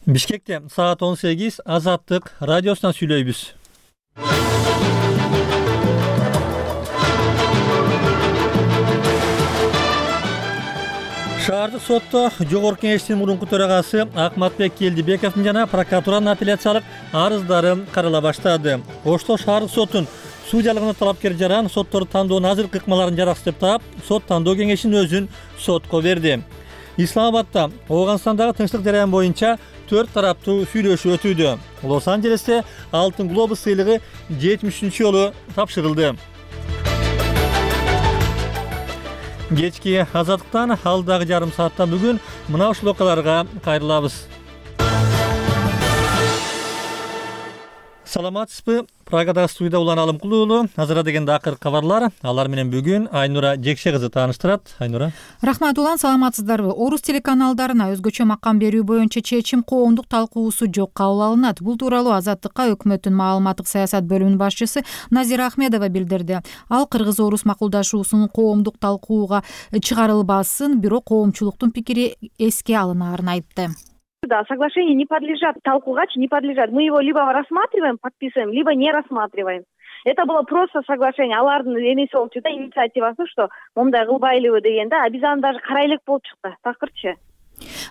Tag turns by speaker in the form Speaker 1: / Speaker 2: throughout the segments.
Speaker 1: Бишкекте саат 18 Азаттык радиосунан сүйлөйбүз. Шаардык сотто Жогорку Кеңештин мурунку төрагасы Акматбек Келдибековдун жана прокуратуранын апелляциялык арыздары карала баштады. Ошто шаардык соттун судьялыгына талапкер жаран сотторду тандоонун азыркы ыкмаларын жараксы деп таап, сот тандоо кеңешин өзүн сотко берди. Исламабадда Ооганстандагы тынчтык жараяны боюнча 4 тараптуу сүйлөшүү өтүүдө. Лос-Анджелесте Алтын глобус сыйлыгы 70-нчи жолу тапшырылды. Кечки Азаттыктан алдагы жарым саатта бүгүн мына ушул окуяларга кайрылабыз. Саламатсызбы? Прагадагы студияда Улан Алымкулуу. Азыр дегенде акыркы кабарлар. Алар менен бүгүн Айнура Жекше кызы тааныштырат. Айнура.
Speaker 2: Рахмат Улан, саламатсыздарбы? Орус телеканалдарына өзгөчө макам берүү боюнча чечим коомдук талкуусу жок кабыл алынат. Бул тууралуу Азаттыкка өкмөттүн маалыматтык саясат бөлүмүнүн башчысы Назира Ахмедова билдирди. Ал кыргыз-орус макулдашуусунун коомдук талкууга чыгарылбасын, бирок коомчулуктун пикири эске алынаарын айтты.
Speaker 3: Да, соглашение не подлежат, талкууга не подлежат. Мы его либо рассматриваем, подписываем, либо не рассматриваем. Это было просто соглашение. Алардын эмеси болуп чыкты, инициативасы, что момундай кылбайлыбы дегенде, а биз аны даже карай элек болуп чыкты. Такырчы.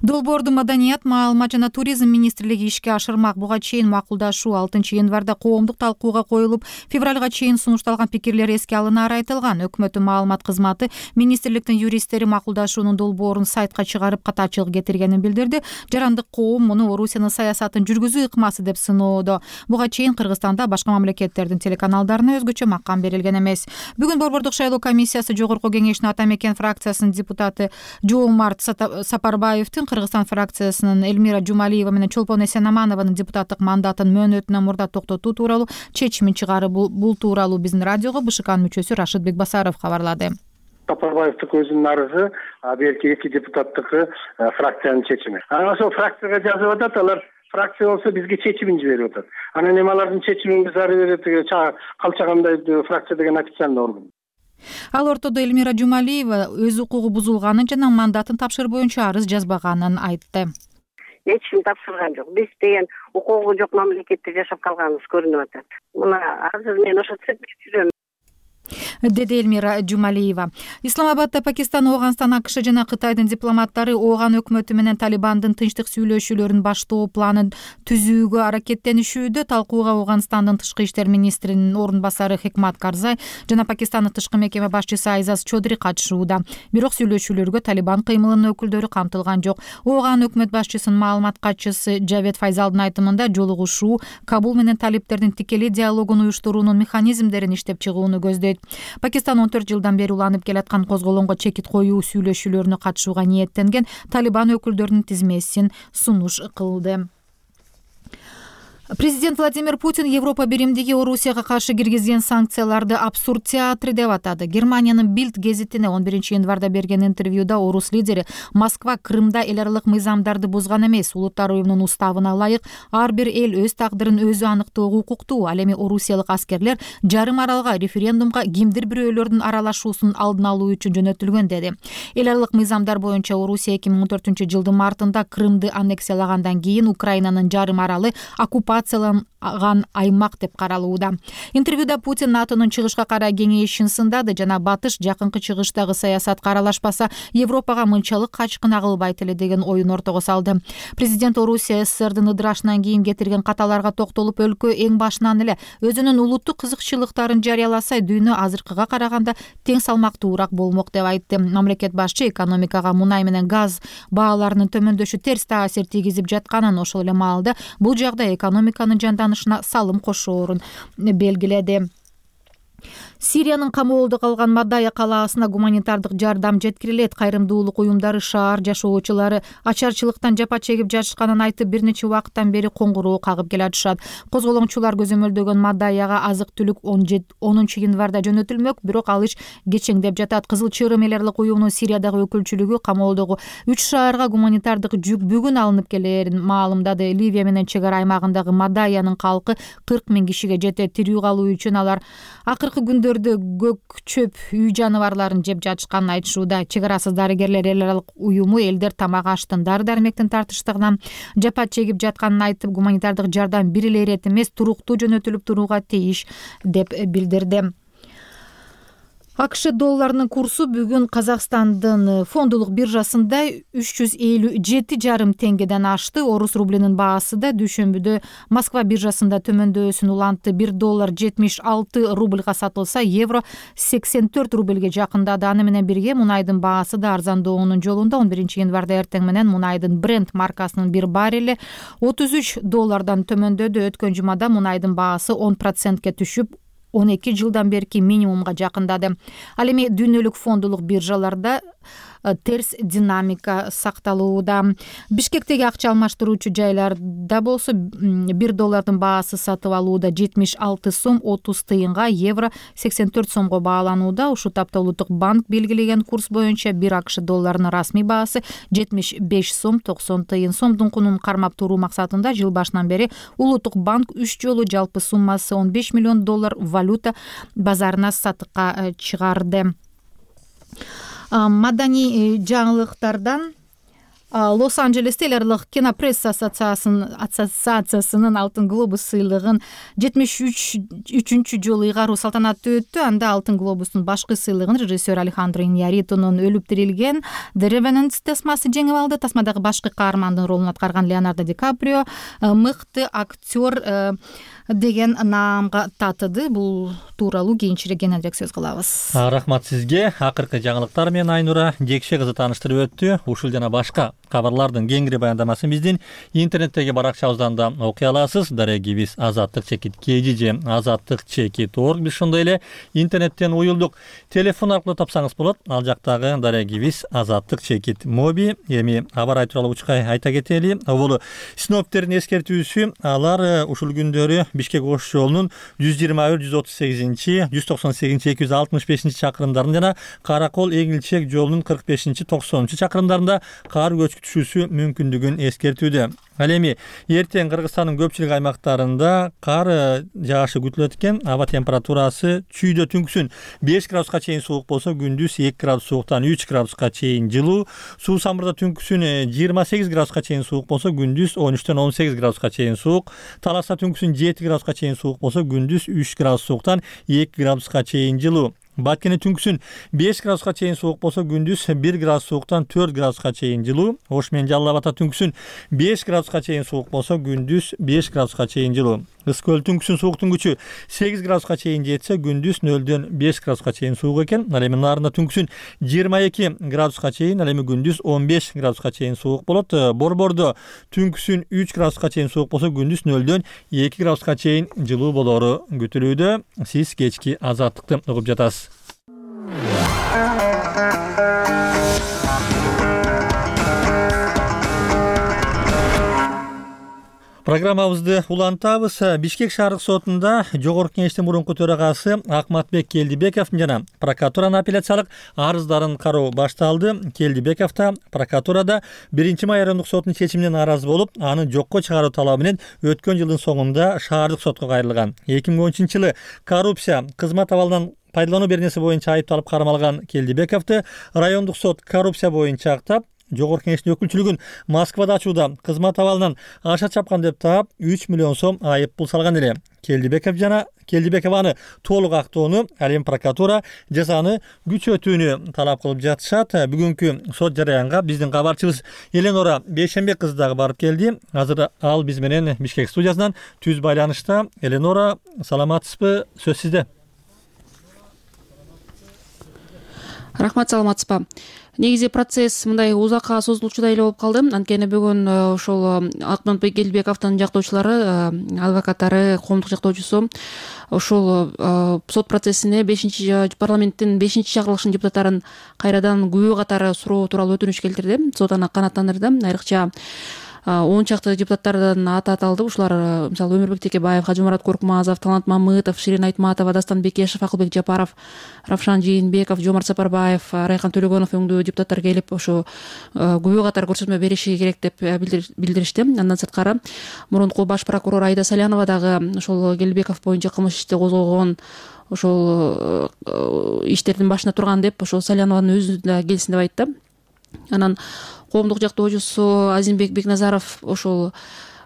Speaker 2: Долбоорду Маданият, маалымат жана туризм министрлиги ишке ашырмак. Буга чейин макулдашуу 6-январда коомдук талкууга коюлуп, февралга чейин сунушталган пикирлер эске алынары айтылган. Өкмөттүн маалымат кызматы министрликтин юристтери макулдашуунун долбоорун сайтка чыгарып катачылык кетиргенин билдирди. Жарандык коом муну Орусиянын саясатын жүргүзүү ыкмасы деп сыноодо. Буга чейин Кыргызстанда башка мамлекеттердин телеканалдарына өзгөчө макам берилген эмес. Бүгүн Борбордук шайлоо комиссиясы Жогорку Кеңештин Ата Мекен фракциясынын депутаты Жоомарт Сапарбаевдин Кыргызстан фракциясынын Эльмира Жумалиева менен Чолпон Эсенаманованын депутаттык мандатын мөөнөтүнөн мурда токтотуу тууралуу чечимин чыгарып, бул тууралуу биздин радиого БШКнын мүчөсү Рашид Бекбасаров кабарлады.
Speaker 4: Сапарбаевдин өзүнүн арызы, берки 2 депутаттык фракциянын чечими. Ошол фракцияга жазып атат, алар фракция болсо бизге чечимин жиберип атат. Анан эми алардын чечимин биз ары бери калчагандай фракция деген официальный орган.
Speaker 2: Ал ортодо Эльмира Жумалиева өз укугу бузулганын жана мандатын тапшыруу боюнча арыз жазбаганын айтты.
Speaker 5: Эч ким тапшырган жок. Биз деген укугу жок мамлекетте жашап калганыбыз көрүнүп атат. Мына азыр мен ошо цепип жүрөм,
Speaker 2: деди Эльмира Жумалиева. Исламабадда Пакистан, Ооганстан, АКШ жана Кытайдын дипломаттары Ооган өкмөтү менен Талибандын тынчтык сүйлөшүүлөрүн баштоо планын түзүүгө аракеттенишүүдө. Талкууга Ооганстандын тышкы иштер министринин орун басары Хикмат Карзай жана Пакистандын тышкы мекеме башчысы Айзаз Чодри катышууда. Бирок сүйлөшүүлөргө Талибан кыймылынын өкүлдөрү камтылган жок. Ооган өкмөт башчысынын маалымат катчысы Жавед Файзалдын айтымында жолугушуу Кабул менен талиптердин тикелей диалогун уюштуруунун механизмдерин иштеп чыгууну көздөйт. Пакистан 14 жылдан бери уланып келаткан козголоңго чекит коюу сүйлөшүүлөрүнө катышууга ниеттенген Талибан өкүлдөрүнүн тизмесин сунуш кылды. Президент Владимир Путин Европа биримдиги Орусияга каршы киргизген санкцияларды абсурд театры деп атады. Германиянын Bild гезитине 11-январда берген интервьюда орус лидери Москва Крымда эл аралык мыйзамдарды бузган эмес, улуттар уюмунун уставына ылайык ар бир эл өз тагдырын өзү аныктоого укуктуу. Ал эми орусиялык аскерлер жарым аралга референдумга кимдир бирөөлөрдүн аралашуусунун алдын алуу үчүн жөнөтүлгөн деди. Эл аралык мыйзамдар боюнча Орусия 2014-жылдын мартында Крымды аннексиялагандан кийин Украинанын жарым аралы оккупацияланган аймак деп каралууда. Интервьюда Путин НАТОнун чыгышка карай кеңешин сындады жана батыш жакынкы чыгыштагы саясатка аралашпаса, Европага мынчалык качкын агылбайт эле деген оюн ортого салды. Президент Орусия СССРдин ыдырашынан кийин кетирген каталарга токтолуп, өлкө эң башынан эле өзүнүн улуттук кызыкчылыктарын жарыяласа, дүйнө азыркыга караганда тең салмактуураак болмок деп айтты. Мамлекет башчы экономикага мунай менен газ бааларынын төмөндөшү терс таасир тийгизип жатканын, ошол эле маалда бул жагдай экономиканын жанданышына салым кошоорун белгиледи. Сириянын камоолдо калган Мадая калаасына гуманитардык жардам жеткирилет. Кайрымдуулук уюмдары шаар жашоочулары ачарчылыктан жапа чегип жатышканын айтып, бир нече убакыттан бери коңгуроо кагып келатышат. Козголоңчулар көзөмөлдөгөн Мадаяга азык-түлүк 10-январда жөнөтүлмөк, бирок ал иш кечеңдеп жатат. Кызыл Чырым эл аралык уюмунун Сириядагы өкүлчүлүгү камоолдогу 3 шаарга гуманитардык жүк бүгүн алынып келерин маалымдады. Ливия менен чек ара аймагындагы Мадаянын калкы 40 000 кишиге жетет. Тирүү калуу үчүн алар акыркы акыркы күндөрдө көк чөп үй жаныбарларын жеп жатышканын айтышууда. Чек арасыз дарыгерлер эл аралык уюму элдер тамак аштын, дары дармектин тартыштыгынан жапат чегип жатканын айтып, гуманитардык жардам бир эле ирет эмес, туруктуу жөнөтүлүп турууга тийиш деп билдирди. АКШ долларынын курсу бүгүн Казакстандын фондулук биржасында 357,5 теңгеден ашты. Орус рублинин баасы да дүйшөмбүдө Москва биржасында төмөндөсүн улантты. 1 доллар 76 рубльга сатылса, евро 84 рубльге жакындады. Аны менен бирге мунайдын баасы да арзандоонун жолунда. 11 январда эртең менен мунайдын Brent маркасынын бир баррели 33 доллардан төмөндөдү. Өткөн жумада мунайдын баасы 10%ке түшүп 12 жылдан берки минимумга жакындады. Ал эми дүйнөлүк фондулук биржаларда терс динамика сакталууда. Бишкектеги акча алмаштыруучу жайларда болсо 1 доллардын баасы сатып алууда 76 сом 30 тыйынга, евро 84 сомго бааланууда. Ушул тапта Улуттук банк белгилеген курс боюнча 1 АКШ долларынын расмий баасы 75 сом 90 тыйын. Сомдун кунун кармап туруу максатында жыл башынан бери Улуттук банк 3 жолу жалпы суммасы 15 миллион доллар валюта базарына сатыкка чыгарды. Маданий жаңылыктардан Лос-Анджелесте эл аралык кинопресса ассоциациясынын Алтын глобус сыйлыгын 73-үчүнчү жолу ыйгаруу салтанаты өттү. Анда Алтын глобустун башкы сыйлыгын режиссер Алехандро Иньярритунун өлүп тирилген The Revenant тасмасы жеңип алды. Тасмадагы башкы каармандын ролун аткарган Леонардо Ди Каприо мыкты актер деген наамга татыды. Бул тууралуу кийинчерээк кененирээк сөз кылабыз.
Speaker 1: Рахмат сизге. Акыркы жаңылыктар менен Айнура Жекше кызы тааныштырып өттү. Ушул жана башка кабарлардын кеңири баяндамасын биздин интернеттеги баракчабыздан да окуй аласыз. Дарегибиз Азаттык чекит KG же Азаттык чекит org. Биз ошондой эле интернеттен уюлдук. Телефон аркылуу тапсаңыз болот. Ал жактагы дарегибиз Азаттык чекит моби. Эми аба ырайы тууралуу учкай айта кетели. Бул синоптиктердин эскертүүсү, алар ушул күндөрү Бишкек Ош жолунун 121-138, 198, 265 чакырымдарында жана Каракол Эңилчек жолунун 45, 90 чакырымдарында кар көчкү мүмкүндүгүн эскертүүдө. Ал эми эртең Кыргызстандын көпчүлүк аймактарында кар жаашы күтүлөт экен. Аба температурасы чүйдө түнкүсүн 5 градуска чейин суук болсо, күндүз 2 градус сууктан 3 градуска чейин жылуу. Суу самырда түнкүсүн 28 градуска чейин суук болсо, күндүз 13-төн 18 градуска чейин суук. Таласта түнкүсүн 7 градуска чейин суук болсо, күндүз 3 градус сууктан 2 градуска чейин жылуу. Баткене түнкүсүн 5 градуска чейин суук болсо, күндүз 1 градус сууктан 4 градуска чейин жылуу. Ош менен Жалал Абадта түнкүсүн 5 градуска чейин суук болсо, күндүз 5 градуска чейин жылуу. Ысык көл түнкүсүн сууктун күчү 8 градуска чейин жетсе, күндүз 0-дөн 5 градуска чейин суук экен. Ал эми Нарында түнкүсүн 22 градуска чейин, ал эми күндүз 15 градуска чейин суук болот. Борбордо түнкүсүн 3 градуска чейин суук болсо, күндүз 0-дөн 2 градуска чейин жылуу болору күтүлүүдө. Сиз кечки Азаттыкты угуп жатасыз. Программабызды улантабыз. Бишкек шаардык сотунда Жогорку Кеңештин мурунку төрагасы Акматбек Келдибековдун жана прокуратуранын апелляциялык арыздарын кароо башталды. Келдибеков да прокуратурада 1-май райондук сотунун чечимине нааразы болуп, аны жокко чыгаруу талабы менен өткөн жылдын соңунда шаардык сотко кайрылган. 2013-жылы коррупция, кызмат абалынан пайдалануу беренеси боюнча айыпталып кармалган Келдибековду райондук сот коррупция боюнча актап, Жогорку Кеңештин өкүлчүлүгүн Москвада ачууда кызмат абалынан аша чапкан деп таап 3 миллион сом айып пул салган эле. Келдибекованы толук актоону, ал эми прокуратура жазаны күчөтүүнү талап кылып жатышат. Бүгүнкү сот жараянга биздин кабарчыбыз Эленора Бейшенбек кызы дагы барып келди. Азыр ал биз менен Бишкек студиясынан түз байланышта. Эленора, саламатсызбы? Сөз сизде.
Speaker 6: Рахмат, саламатсызбы. Негизи процесс мындай узакка созулуучудай эле болуп калды. Анткени бүгүн ошол Акматбек Келдибековдун жактоочулары, адвокаттары, коомдук жактоочусу ошол сот процессине парламенттин 5-чакырылышынын депутаттарын кайрадан күбө катары суроо тууралуу өтүнүч келтирди. Сот аны канааттандырды. Айрыкча 10 чакты депутаттардан аты аталды. Ушулар мисалы Өмүрбек Текебаев, Хажымурат Коркмазов, Талант Мамытов, Ширин Айтматова, Дастан Бекешев, Акылбек Жапаров, Равшан Жээнбеков, Жомарт Сапарбаев, Райхан Төлөгөнов өңдүү депутаттар келип ошо күбө катары көрсөтмө бериши керек деп билдиришти. Андан сырткары мурунку баш прокурор Айда Салянова дагы ошол Келдибеков боюнча кылмыш ишти козгогон ошол иштердин башында турган деп ошол Салянованын өзү да келсин деп айтты. Анан коомдук жактоочусу Азимбек Бекназаров ошол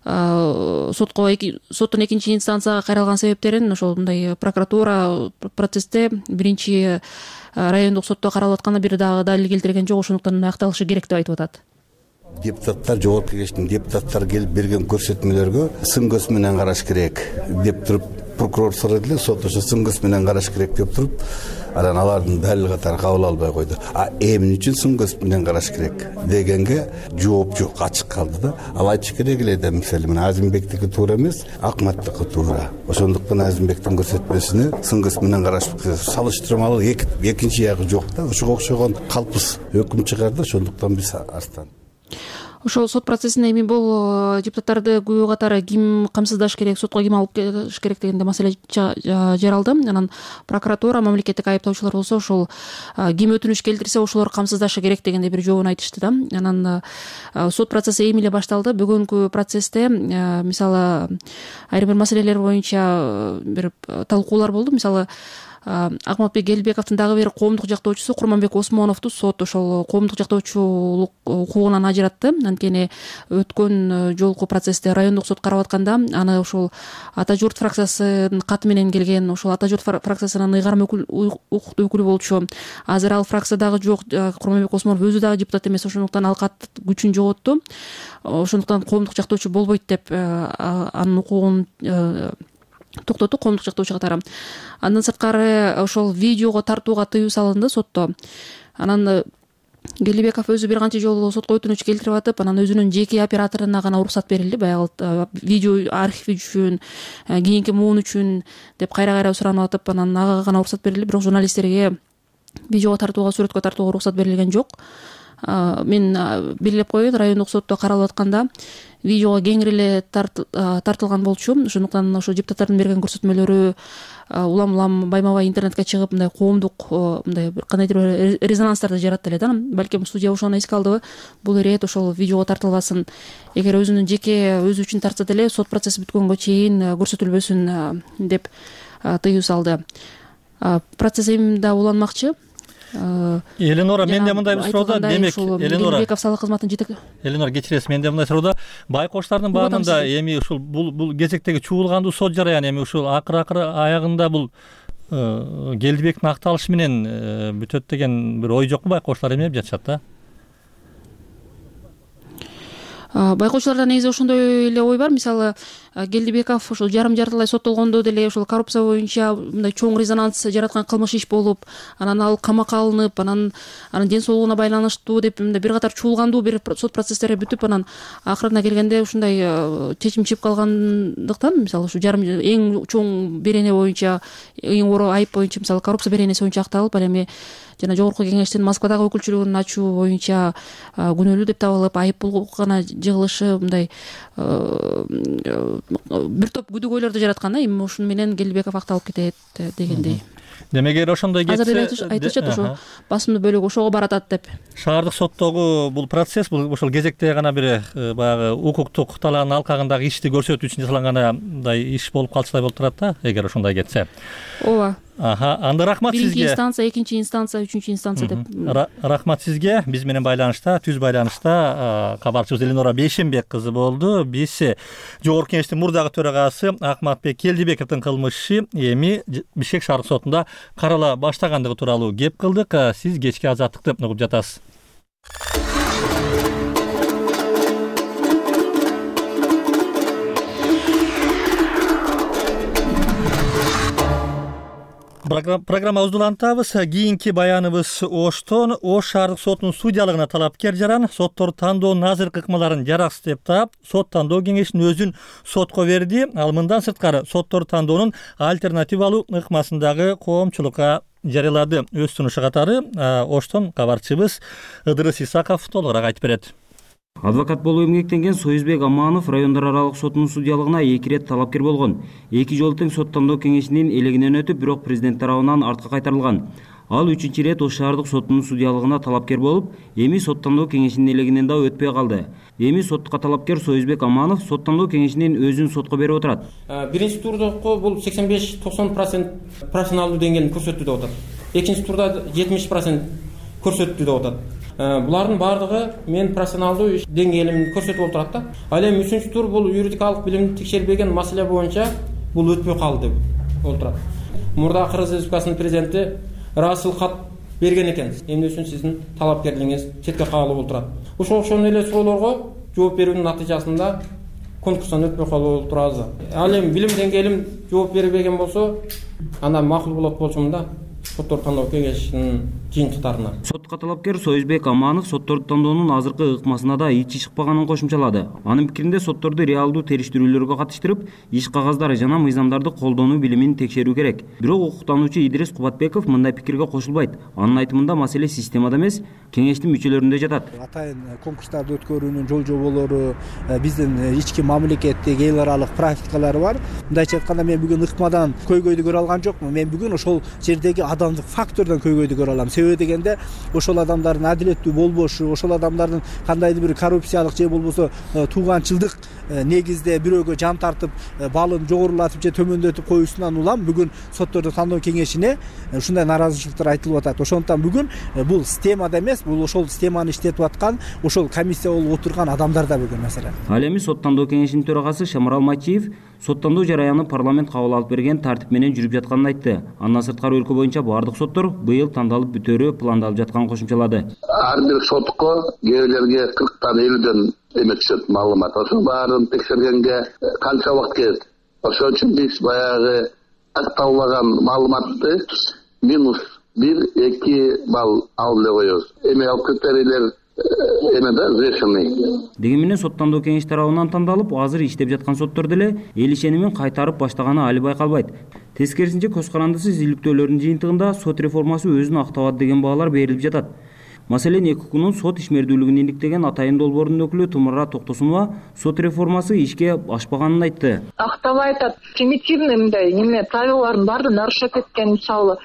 Speaker 6: соттун экинчи инстанцияга кайрылган себептерин ошол мындай прокуратура процессте биринчи райондук сотто каралып атканда бир дагы далил келтирген жок, ошондуктан аякталышы керек деп айтып атат.
Speaker 7: Депутаттар, жогорку кеңештин депутаттары келип берген көрсөтмөлөргө сын көз менен караш керек деп туруп прокурор сурады эле, сот ошо сын көз менен караш керек деп туруп, анан алардын далил катары кабыл албай койду. Эмне үчүн сын көз менен караш керек дегенге жооп жок, ачык калды да. Ал айтыш керек эле да, мисалы менен Азимбектики туура эмес, Акматтыкы туура. Ошондуктан Азимбектин көрсөтмөсүнө сын көз менен караш салыштырмалуу экинчи ягы жок да. Ошого окшогон калпыз өкүм чыгарды, ошондуктан биз арстан.
Speaker 6: Ошол сот процессинде эми бул депутаттарды күбө катары ким камсыздаш керек, сотко ким алып келиш керек дегенде маселе жаралды. Анан прокуратура, мамлекеттик айыптоочулар болсо ошол ким өтүнүш келтирсе ошолор камсыздашы керек дегенде бир жообун айтышты да. Анан сот процесси эми эле башталды. Бүгүнкү процессте мисалы айрым бир маселелер боюнча бир талкуулар болду. Мисалы Акматбек Элбековдун дагы бир коомдук жактоочусу Курманбек Осмоновду сот ошол коомдук жактоочулук укугунан ажыратты. Анткени өткөн жолку процессте райондук сот карап атканда аны ошол Ата журт фракциясынын каты менен келген, ошол Ата журт фракциясынын ыйгарым укуктуу өкүлү болчу. Азыр ал фракциядагы жок, Курманбек Осмонов өзү дагы депутат эмес, ошондуктан ал кат күчүн жоготту. Ошондуктан коомдук жактоочу болбойт деп анын укугун токтоту коомдук жактоочу катары. Андан сырткары ошол видеого тартууга тыюу салынды сотто. Анан Келдибеков өзү бир канча жолу сотко өтүнүч келтирип атып, анан өзүнүн жеке операторуна гана уруксат берилди. Баягы видео архив үчүн, кийинки муун үчүн деп кайра суранып атып, анан ага гана уруксат берилди. Бирок журналисттерге видеого тартууга, сүрөткө тартууга уруксат берилген жок. Мен белгилеп коеюн, райондук сотто каралып атканда видеого кеңири эле тартылган болчу. Ошондуктан ошо депутаттардын берген көрсөтмөлөрү улам байма-бай интернетке чыгып, мындай коомдук мындай кандайдыр резонанстарды жаратты эле да. Балким судья ошону эске алдыбы, бул ирет ошол видеого тартылбасын. Эгер өзүнүн жеке өзү үчүн тартса деле сот процесси бүткөнгө чейин көрсөтүлбөсүн деп тыюу салды. Процесс эми да уланмакчы.
Speaker 1: Эленора, менде мындай бир суроодо, демек Эленора
Speaker 6: Элбеков салык кызматынын жетек.
Speaker 1: Эленора, кечиресиз, менде мындай суроодо, байкоштардын баанында эми ушул бул кезектеги чуулгандуу сот жараяны эми ушул акыры аягында бул Келдибектин акталышы менен бүтөт деген бир ой жокпу? Байкоштар эмне деп жатышат да?
Speaker 6: Байкоочуларда негизи ошондой эле ой бар. Мисалы Келдибеков ошол жарым-жартылай соттолгондо деле ошол коррупция боюнча мындай чоң резонанс жараткан кылмыш иш болуп, анан ал камакка алынып, анан ден соолугуна байланыштуу деп мындай бир катар чуулгандуу бир сот процесстери бүтүп, анан акырына келгенде ушундай чечим чыгып калгандыктан, мисалы ушу жарым эң чоң берене боюнча, эң оор айып боюнча, мисалы коррупция беренеси боюнча акталып, ал эми жана жогорку кеңештин Москвадагы өкүлчүлүгүн ачуу боюнча күнөөлүү деп табылып, айып пул гана жыгылышы мындай бир топ күдүгөйлөрдү жараткан. Эми ушуну менен Келдибеков акталып кетет дегендей.
Speaker 1: Демек эгер ошондой кетсе,
Speaker 6: азыр айтышат ошо басымдуу бөлүгү ошого баратат деп.
Speaker 1: Шаардык соттогу бул процесс, бул ошол кезекте гана бир баягы укуктук талаанын алкагындагы ишти көрсөтүү үчүн жасалгандай иш болуп калчудай болуп турат да, эгер ошондой кетсе.
Speaker 6: Ооба.
Speaker 1: Анда рахмат сизге.
Speaker 6: Биринчи инстанция, экинчи инстанция, үчүнчү инстанция деп.
Speaker 1: Рахмат сизге. Биз менен байланышта, түз байланышта кабарчыбыз Эленора Бейшенбек кызы болду. Биз жогорку кеңештин мурдагы төрагасы Акматбек Келдибековдун кылмышы эми Бишкек шаардык сотунда карала баштагандыгы тууралуу кеп кылдык. Сиз кечки азаттыкты угуп жатасыз. Программабызды улантабыз. Кийинки баяныбыз Оштон. Ош шаардык сотунун судьялыгына талапкер жаран соттор тандоонун азыркы ыкмаларын жараксыз деп таап, сот тандоо кеңешинин өзүн сотко берди. Ал мындан сырткары соттор тандоонун альтернативалуу ыкмасындагы коомчулукка жарыялады. Өз сунушу катары Оштон кабарчыбыз Ыдырыс Исаков толугураак айтып берет.
Speaker 8: Адвокат болуп эмгектенген Союзбек Аманов райондар аралык сотунун судьялыгына 2 рет талапкер болгон. 2 жолу тең сот тандоо кеңешинин элегинен өтүп, бирок президент тарабынан артка кайтарылган. Ал 3-рет Ош шаардык сотунун судьялыгына талапкер болуп, эми соттондоо кеңешинин элегинен да өтпөй калды. Эми сотко талапкер Союзбек Аманов соттондоо кеңешинин өзүн сотко берип отурат.
Speaker 9: Биринчи турдагы бул 85-90% профессионалдуу деңгээлин көрсөттү деп атат. Экинчи турда 70% көрсөттү деп атат. Булардын баардыгы мен профессионалдуу деңгээлимди көрсөтүп отурат да. Ал эми 3-үнчү тур бул юридикалык билимди текшербеген маселе боюнча бул өтпөй калды деп отурат. Мурда Кыргыз Республикасынын президенти расыл кат берген экен. Эмне үчүн сиздин талапкерлигиңиз четке кагылып отурат. Ошол окшоон эле суроолорго жооп берүүнүн натыйжасында конкурстан өтпөй калып отурабыз. Ал эми билим деңгээлим жооп бербеген болсо, анда макул болот болчумун да. Соттор тандоо кеңешинин жыйынтыктарына.
Speaker 8: Сотко талапкер Союзбек Аманов сотторду тандоонун азыркы ыкмасына да ичи чыкпаганын кошумчалады. Анын пикиринде сотторду реалдуу териштирүүлөргө катыштырып, иш кагаздары жана мыйзамдарды колдонуу билимин текшерүү керек. Бирок укуктануучу Идрис Кубатбеков мындай пикирге кошулбайт. Анын айтымында маселе системада эмес, кеңештин мүчөлөрүндө жатат.
Speaker 10: Атайын конкурстарды өткөрүүнүн жол жоболору, биздин ички мамлекеттик эл аралык практикалары бар. Мындайча айтканда мен бүгүн ыкмадан көйгөйдү көрө алган жокмун. Мен бүгүн ошол жердеги адамдык фактордон көйгөйдү көрө алам. Себеби дегенде ошол адамдардын адилеттүү болбошу, ошол адамдардын кандайдыр бир коррупциялык же болбосо тууганчылдык негизде бирөөгө жан тартып, балын жогорулатып же төмөндөтүп коюусунан улам бүгүн сотторду тандоо кеңешине ушундай нааразычылыктар айтылып атат. Ошондуктан бүгүн бул системада эмес, бул ошол системаны иштетип аткан, ошол комиссия болуп отурган адамдар да бүгүн маселен.
Speaker 8: Ал эми сот тандоо кеңешинин төрагасы Шамарал Матчиев соттондоо жараяны парламент кабыл алып берген тартип менен жүрүп жатканын айтты. Андан сырткары өлкө боюнча баардык соттор быйыл тандалып бүтөөрү пландалып жатканын кошумчалады.
Speaker 11: Ар бир сотко кээбилерге 40-тан 50дөн эме түшөт маалымат. Ошо баарын текшергенге канча убакыт кетет. Ошон үчүн биз баягы акталган маалыматты минус 1-2 балл алып эле коебуз. Эми ал критерийлер
Speaker 8: Деген менен соттондоо кеңеш тарабынан тандалып, азыр иштеп жаткан соттор деле эл ишенимин кайтарып баштаганы али байкалбайт. Тескерисинче көз карандысыз иликтөөлөрдүн жыйынтыгында сот реформасы өзүн актабады деген баалар берилип жатат. Маселен, ЭККнун сот ишмердүүлүгүн иликтеген Атайын долбоорунун өкүлү Тумара Токтосунова сот реформасы ишке ашпаганын айтты.
Speaker 12: Актабай айтат, примитивный мындай неме правилалардын баарын нарушать эткен, мисалы.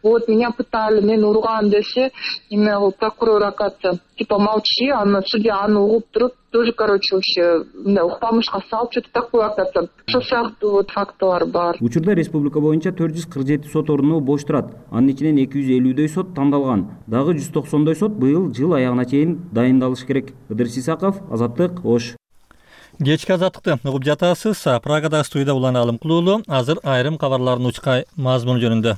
Speaker 12: Вот меня пытали, мен урган десе, имел прокурор акация. Типа молчи, аны судья аны угуп туруп, тоже, короче, вообще, укпамышка салып, что-то такое акация. Ошол сыяктуу вот фактылар бар.
Speaker 8: Учурда республика боюнча 447 сот орну бош турат. Анын ичинен 250дөй сот тандалган. Дагы 190дөй сот быйыл жыл аягына чейин дайындалышы керек. Ыдырыс Исаков, Азаттык, Ош.
Speaker 1: Кечки азаттыкты угуп жатасыз. Прагада студияда Улан Алым Кулуулу. Азыр айрым кабарлардын учка мазмуну жөнүндө.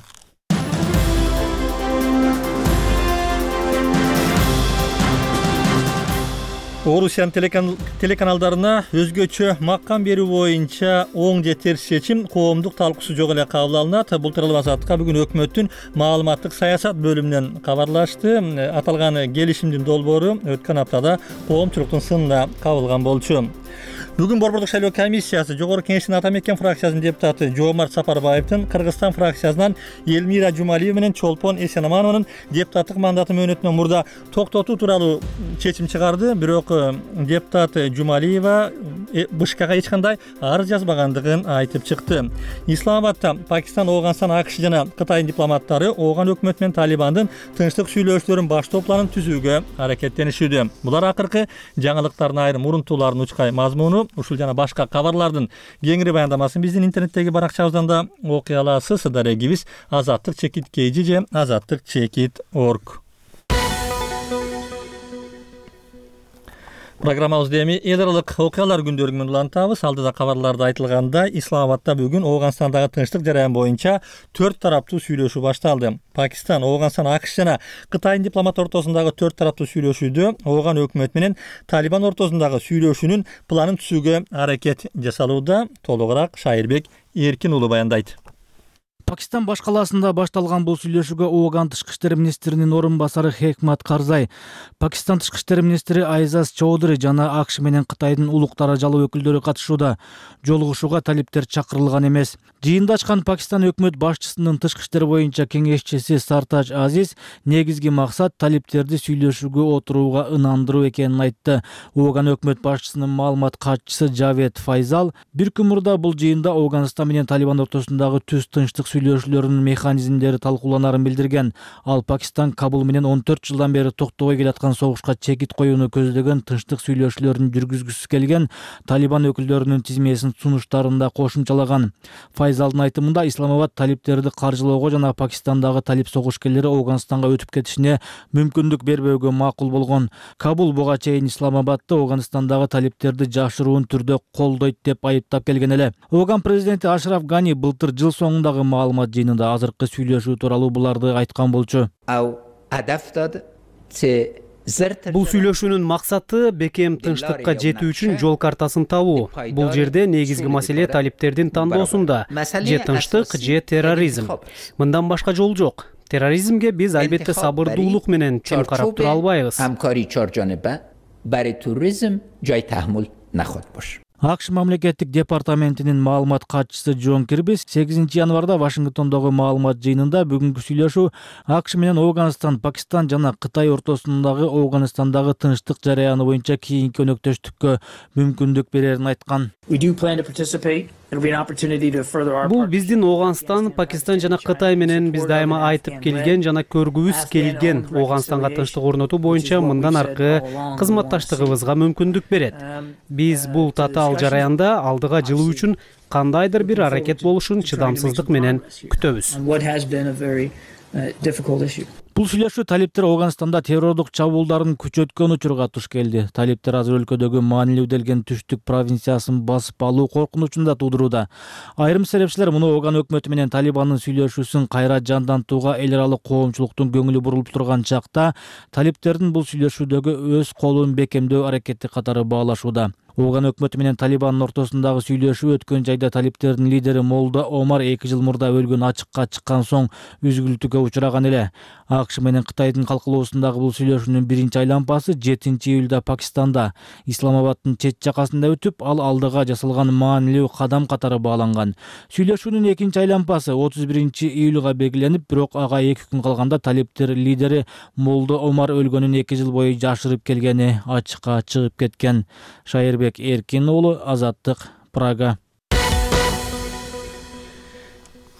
Speaker 1: Орусиянын телеканалдарына өзгөчө маккам берүү боюнча оң же терс чечим коомдук талкуусу жок эле кабыл алынат. Бул тууралуу Азаттыкка бүгүн өкмөттүн маалыматтык саясат бөлүмүнөн кабарлашты. Аталган келишимдин долбоору өткөн аптада коомчулуктун сынына кабылган болчу. Бүгүн Борбордук шайлоо комиссиясы Жогорку Кеңештин Ата Мекен фракциясынын депутаты Жоомарт Сапарбаевдин Кыргызстан фракциясынан Элмира Жумалиева менен Чолпон Эсенаманованын депутаттык мандаты мөөнөтүнөн мурда токтотуу тууралуу чечим чыгарды. Бирок депутат Жумалиева БШКга эч кандай арыз жазбагандыгын айтып чыкты. Исламабадта Пакистан, Ооганстан, АКШ жана Кытайдын дипломаттары Ооган өкмөтү менен Талибандын тынчтык сүйлөшүүлөрүн баштоо планын түзүүгө аракеттенишүүдө. Булар акыркы жаңылыктардын айрым урунтууларын учкай мазмуну, ушул жана башка кабарлардын кеңири баяндамасын биздин интернеттеги баракчабыздан да окуй аласыз. Дарегибиз azattik.kg же azattik.org. Программабызды эми эл аралык окуялар күндөрү менен улантабыз. Алдыда кабарларда айтылгандай, Исламабадта бүгүн Ооганстандагы тынчтык жараяны боюнча 4 тараптуу сүйлөшүү башталды. Пакистан, Ооганстан, АКШ жана Кытайдын дипломат ортосундагы 4 тараптуу сүйлөшүүдө Ооган өкмөтү менен Талибан ортосундагы сүйлөшүүнүн планын түзүүгө аракет жасалууда. Толугураак Шайырбек Эркин уулу баяндайт.
Speaker 13: Пакистан баш калаасында башталган бул сүйлөшүүгө Ооган тышкы иштер министринин орун басары Хекмат Карзай, Пакистан тышкы иштер министри Айзаз Чоудри жана АКШ менен Кытайдын улук даражалуу өкүлдөрү катышууда. Жолугушууга талиптер чакырылган эмес. Жыйында ачкан Пакистан өкмөт башчысынын тышкы иштер боюнча кеңешчиси Сартаж Азиз негизги максат талиптерди сүйлөшүүгө отурууга ынандыруу экенин айтты. Ооган өкмөт башчысынын маалымат катчысы Жавед Файзал бир күн мурда бул жыйында Ооганстан менен Талибан ортосундагы түз тынчтык сүйлөшүүлөрдүн механизмдери талкууланарын билдирген. Ал Пакистан Кабул менен 14 жылдан бери токтобой келаткан согушка чекит коюуну көздөгөн тынчтык сүйлөшүүлөрүн жүргүзгүсү келген Талибан өкүлдөрүнүн тизмесин сунуштарында кошумчалаган. Файзалдын айтымында Исламабад талиптерди каржылоого жана Пакистандагы талип согушкерлери Афганистанга өтүп кетишине мүмкүндүк бербөөгө макул болгон. Кабул буга чейин Исламабадды Афганистандагы талиптерди жашыруун түрдө колдойт деп айыптап келген эле. Афган президенти Ашраф Гани былтыр жыл соңундагы маалымат жыйынында азыркы сүйлөшүү тууралуу буларды айткан болчу.
Speaker 14: Бул сүйлөшүүнүн максаты бекем тынчтыкка жетүү үчүн жол картасын табуу. Бул жерде негизги маселе талиптердин тандоосунда: же тынчтык, же терроризм. Мындан башка жол жок. Терроризмге биз албетте сабырдуулук менен чын карап тура албайбыз.
Speaker 13: АКШ мамлекеттик департаментинин маалымат катчысы Джон Кирби 8 январда Вашингтондогу маалымат жыйынында бүгүнкү сүйлөшүү АКШ менен Афганистан, Пакистан жана Кытай ортосундагы Афганистандагы тынчтык жараяны боюнча кийинки өнөктөштүккө мүмкүндүк берерин айткан.
Speaker 14: Бул биздин Афганистан, Пакистан жана Кытай менен биз дайыма айтып келген жана көргүбүз келген Афганистанга тынчтык орнотуу боюнча мындан аркы кызматташтыгыбызга мүмкүндүк берет. Биз бул татаал жараянда алдыга жылуу үчүн кандайдыр бир аракет болушун чыдамсыздык менен күтөбүз.
Speaker 13: Бул сүйлөшүү талиптер Афганистанда террордук чабуулдарын күчөткөн учурга туш келди. Талиптер азыр өлкөдөгү маанилүү делген түштүк провинциясын басып алуу коркунучун да туудурууда. Айрым серепчилер муну Афган өкмөтү менен Талибандын сүйлөшүүсүн кайра жандантууга эл аралык коомчулуктун көңүлү бурулуп турган чакта талиптердин бул сүйлөшүүдөгү өз колун бекемдөө аракети катары баалашууда. Афган өкмөтү менен Талибандын ортосундагы сүйлөшүү өткөн жайда талиптердин лидери Молда Омар 2 жыл мурда өлгөн ачыкка чыккан соң үзгүлтүүгө учураган эле. АКШ менен Кытайдын калкалоосундагы бул сүйлөшүүнүн биринчи айлампасы 7 июлда Пакистанда Исламабаддын чет жакасында өтүп, ал алдыга жасалган маанилүү кадам катары бааланган. Сүйлөшүүнүн экинчи айлампасы 31 июлга белгиленип, бирок ага 2 күн калганда талиптер лидери Молда Омар өлгөнүн 2 жыл бою жашырып келгени ачыкка чыгып кеткен. Шайырбек Эркин уулу, Азаттык, Прага.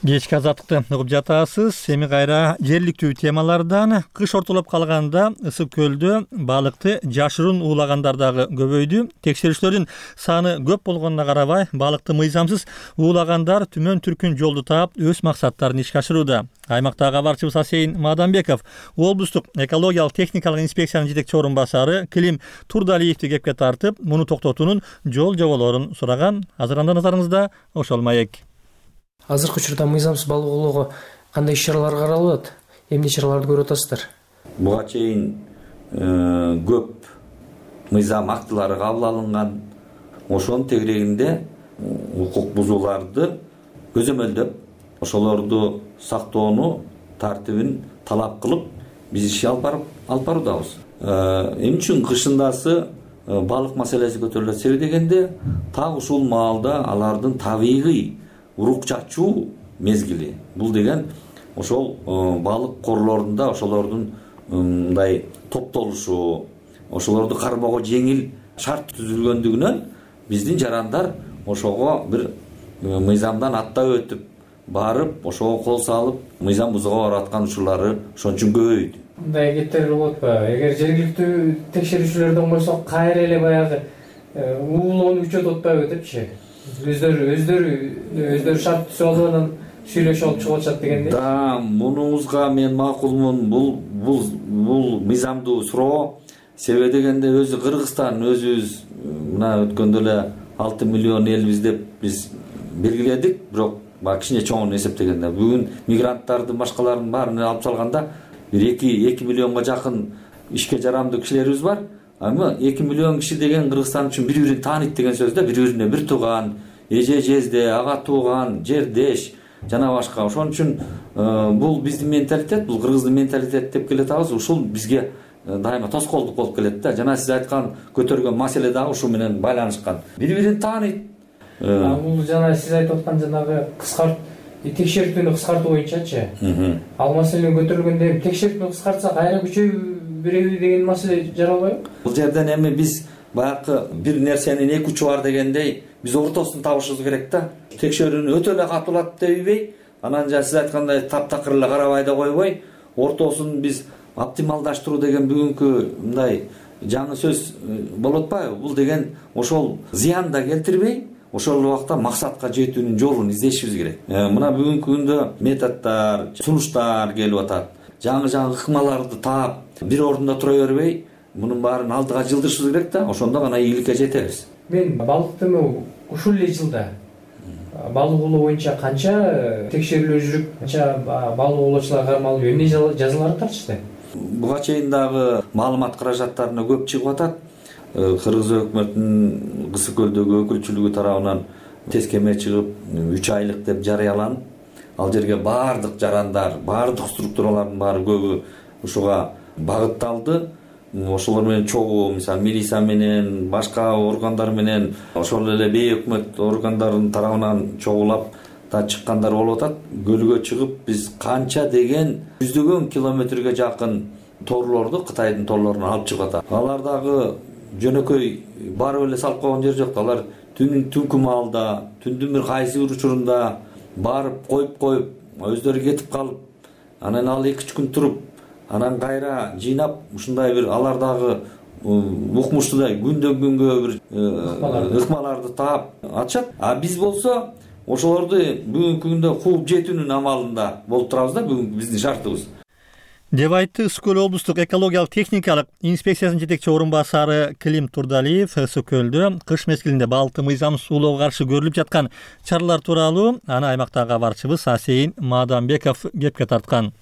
Speaker 1: Кечки азаттыкты угуп жатасыз. Эми кайра жергиликтүү темалардан. Кыш ортолоп калганда ысык көлдө балыкты жашыруун уулагандар дагы көбөйдү. Текшерүүчүлөрдүн саны көп болгонуна карабай, балыкты мыйзамсыз уулагандар түмөн түркүн жолду таап, өз максаттарын ишке ашырууда. Аймактагы кабарчыбыз Асейин Маданбеков облустук экологиялык техникалык инспекциянын жетекчи орун басары Клим Турдалиевди кепке тартып, муну токтотуунун жол жоболорун сураган. Азырында назарыңызда ошол маек.
Speaker 15: Азыркы учурда мыйзамсыз балык оолоого кандай иш-чаралар каралып атат? Эмне чараларды көрүп атасыздар?
Speaker 16: Буга чейин көп мыйзам актылары кабыл алынган. Ошонун тегерегинде укук бузууларды көзөмөлдөп, ошолорду сактоону тартибин талап кылып, биз иш алып баруудабыз. Эмне үчүн кышындасы балык маселеси көтөрүлөт дегенде, так ушул маалда алардын табигый урук чачуу мезгили. Бул деген ошол балык корлорунда ошолордун мындай топтолушу, ошолорду кармоого жеңил шарт түзүлгөндүгүнөн биздин жарандар ошого бир мыйзамдан аттап өтүп барып, ошого кол салып, мыйзам бузууга барып аткан учурлары ошон үчүн көбөйдү.
Speaker 15: Мындай кеттер болот ба? Эгер жергиликтүү текшерүүчүлөрдөн койсок, кайра эле баягы уулоону күчөтүп атпайбы депчи? Өздөрү шарт түзүп алып анан сүйлөшүп алып чыгып атышат дегенде.
Speaker 16: Да, мунуңузга мен макулмун. Бул мыйзамдуу суроо. Себеби дегенде өзү Кыргызстан өзүбүз мына өткөндө эле 6 миллион элбиз деп биз белгиледик, бирок кичине чоңун эсептегенде бүгүн мигранттардын башкалардын баарын алып салганда бир 2 миллионго жакын ишке жарамдуу кишилерибиз бар. Ама 2 миллион киши деген Кыргызстан үчүн бири-бирин тааныйт деген сөз да, бири-бирине бир тууган, эже жезде, ага тууган, жердеш жана башка. Ошон үчүн бул биздин менталитет, бул кыргыздын менталитети деп келатабыз. Ушул бизге дайыма тоскоолдук болуп келет да. Жана сиз айткан көтөргөн маселе дагы ушу менен байланышкан. Бири-бирин тааныйт.
Speaker 15: Бул жана сиз айтып аткан жанагы текшертүүнү кыскартуу боюнчачы. Ал маселени көтөрүлгөндө текшертүүнү кыскартсак кайра күчөйүп береби деген маселе жаралбайбы?
Speaker 16: Бул жерден эми биз баягы бир нерсенин эки учу бар дегендей биз ортосун табышыбыз керек да. Текшерүүнү өтө эле катуулап дебей, анан жана сиз айткандай таптакыр эле карабай да койбой, ортосун биз оптималдаштыруу деген бүгүнкү мындай жаңы сөз болуп атпайбы? Бул деген ошол зыян да келтирбей, ошол убакта максатка жетүүнүн жолун издешибиз керек. Мына бүгүнкү күндө методдор, сунуштар келип атат. Жаңы ыкмаларды таап, бир ордунда тура бербей, мунун баарын алдыга жылдырышыбыз керек да, ошондо гана ийгиликке жетебиз.
Speaker 15: Мен балыкты ушул эле жылда балык улоо боюнча канча текшерүүлөр жүрүп, канча балык улоочуларга кармалып, эмне жазалар тартышты?
Speaker 16: Буга чейин дагы маалымат каражаттарына көп чыгып атат. Кыргыз өкмөтүнүн Кысык көлдөгү өкүлчүлүгү тарабынан тескеме чыгып 3 айлык деп жарыяланып, ал жерге баардык жарандар, баардык структуралардын баары көбү ушуга багытталды. Ошолор менен чогуу, мисалы милиция менен, башка органдар менен, ошол эле бейөкмөт органдардын тарабынан чогулап да чыккандар болуп атат. Көлгө чыгып биз канча деген жүздөгөн километрге жакын торлорду Кытайдын торлорунан алып чыгып атат. Алар дагы жөнөкөй барып эле салып койгон жер жок. Алар түнкү маалда, түндүн бир кайсы бир учурунда барып коюп, өздөрү кетип калып, анан ал 2-3 күн туруп, анан кайра жыйнап, ушундай бир алар дагы укмуштуудай күндөн күнгө бир ыкмаларды таап атышат. А биз болсо ошолорду бүгүнкү күндө кууп жетүүнүн амалында болуп турабыз да, бүгүнкү биздин шартыбыз.
Speaker 1: деп айтты Ысык көл облустук экологиялык техникалык инспекциясынын жетекчи орун басары Клим Турдалиев. Ысык көлдө кыш мезгилинде балыкты мыйзам суулоого каршы көрүлүп жаткан чаралар тууралуу аны аймактагы кабарчыбыз Асейин Маданбеков кепке тарткан.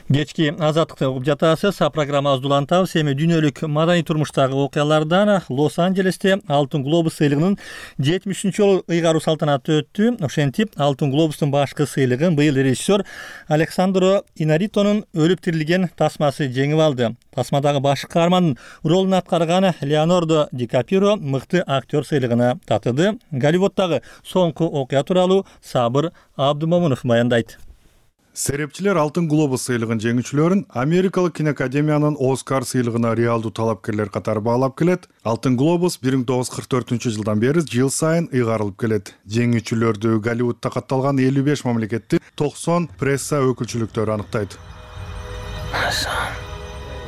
Speaker 1: Кечки азаттыкты угуп жатасыз. Программабызды улантабыз. Эми дүйнөлүк маданий турмуштагы окуялардан Лос-Анджелесте Алтын глобус сыйлыгынын 70-нчи жолу ыйгаруу салтанаты өттү. Ошентип, Алтын глобустун башкы сыйлыгын быйыл режиссер Александро Инаритонун өлүп тирилген тасмасы жеңип алды. Тасмадагы башкы каармандын ролун аткарган Леонардо Ди Каприо мыкты актер сыйлыгына татыды. Голливуддагы соңку окуя тууралуу Сабыр Абдумомунов баяндайт.
Speaker 17: Серепчилер Алтын глобус сыйлыгын жеңүүчүлөрүн Америкалык киноакадемиянын Оскар сыйлыгына реалдуу талапкерлер катары баалап келет. Алтын глобус 1944 жылдан бери жыл сайын ыйгарылып келет. Жеңүүчүлөрдү Голливудда катталган 55 мамлекеттин 90 пресса өкүлчүлүктөрү аныктайт.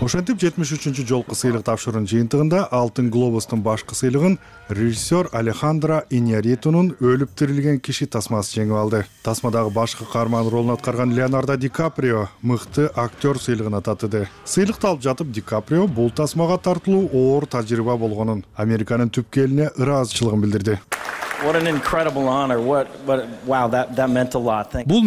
Speaker 17: Ошентип 73-чү жолку сыйлык тапшыруунун жыйынтыгында Алтын глобустун башкы сыйлыгын режиссер Алехандро Иньярритунун өлүп тирилген киши тасмасы жеңип алды. Тасмадагы башкы каарман ролун аткарган Леонардо Ди Каприо мыкты актер сыйлыгына татыды. Сыйлыкты алып жатып Ди Каприо бул тасмага тартылуу оор тажрыйба болгонун, Американын түпкү элине ыраазычылыгын билдирди.
Speaker 18: Бул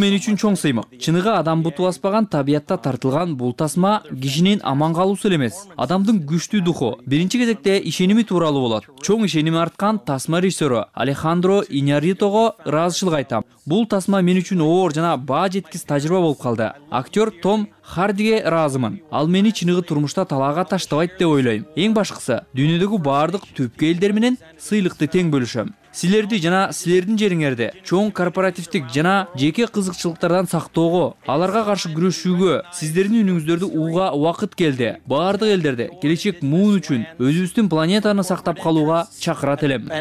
Speaker 18: мен үчүн чоң сыймык. Чыныгы адам буту баспаган табиятта тартылган бул тасма кишинин аман калуусу эле эмес, адамдын күчтүү духу, биринчи кезекте ишеними тууралуу болот. Чоң ишеними арткан тасма режиссеру Алехандро Иньярритого ыраазычылык айтам. Бул тасма мен үчүн оор жана баа жеткис тажрыйба болуп калды. Актер Том Хардиге ыраазымын. Ал мени чыныгы турмушта талаага таштабайт деп ойлойм. Эң башкысы, дүйнөдөгү баардык түпкү элдер менен сыйлыкты тең бөлүшөм. Силерди жана силердин жериңерди чоң корпоративдик жана жеке кызыкчылыктардан сактоого, аларга каршы күрөшүүгө, сиздердин үнүңүздөрдү угууга убакыт келди. Баардык элдерди келечек муун үчүн өзүбүздүн планетаны сактап калууга чакырат элем.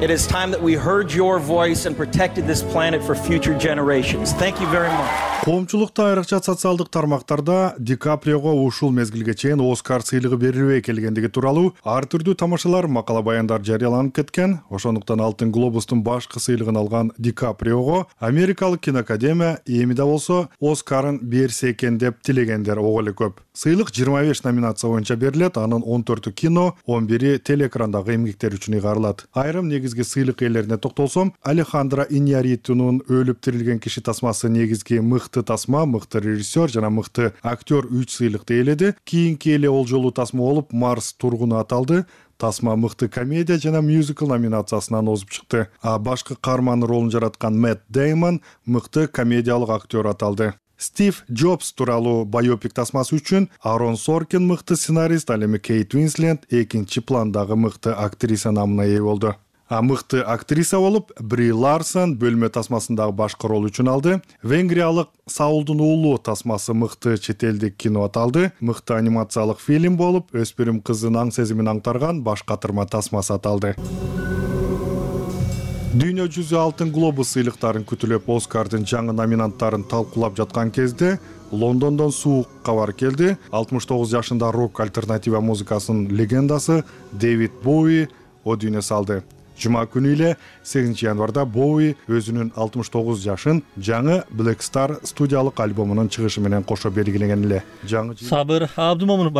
Speaker 19: It is time that we heard your voice and protected this planet for future generations. Thank you very much.
Speaker 17: Коомчулукта айрыкча социалдык тармактарда Ди Каприого ушул мезгилге чейин Оскар сыйлыгы берилбей келгендиги тууралуу ар түрдүү тамашалар, макала баяндар жарыяланып кеткен. Ошондуктан Алтын глобустун башкы сыйлыгын алган Ди Каприого Америкалык киноакадемия эми да болсо Оскарын берсе экен деп тилегендер ого эле көп. Сыйлык 25 номинация боюнча берилет, анын 14-ü кино, 11-и телеэкрандагы эмгектер үчүн ыйгарылат. Айрым негизги сыйлык ээлерине токтолсом, Алехандро Иньярритунун өлүп тирилген киши тасмасы негизги мыкты тасма, мыкты режиссер жана мыкты актер 3 сыйлыкты ээледи. Кийинки эле ол жолу тасма болуп Марс тургуну аталды. Тасма мыкты комедия жана мюзикл номинациясынан озуп чыкты. А башкы каарман ролун жараткан Мэтт Деймон мыкты комедиялык актер аталды. Стив Джобс тууралуу байопик тасмасы үчүн Арон Соркин мыкты сценарист, ал эми Кейт Уинслет экинчи пландагы мыкты актриса намына ээ болду. Мыкты актриса болуп Бри Ларсон бөлмө тасмасындагы башкы рол үчүн алды. Венгриялык Саулдун уулу тасмасы мыкты чет элдик кино аталды. Мыкты анимациялык фильм болуп өспүрүм кыздын аң сезимин аңтарган баш катырма тасмасы аталды. Дүйнө жүзү алтын глобус сыйлыктарын күтүлөп Оскардын жаңы номинанттарын талкуулап жаткан кезде Лондондон суук кабар келди. 69 жашында рок альтернатива музыкасынын легендасы Дэвид Боуи о дүйнө салды. Жума күнү эле 8 январда Боуи өзүнүн 69 жашын жаңы Black Star студиялык альбомунун чыгышы менен кошо белгилеген эле.
Speaker 1: Сабыр Абдумомунов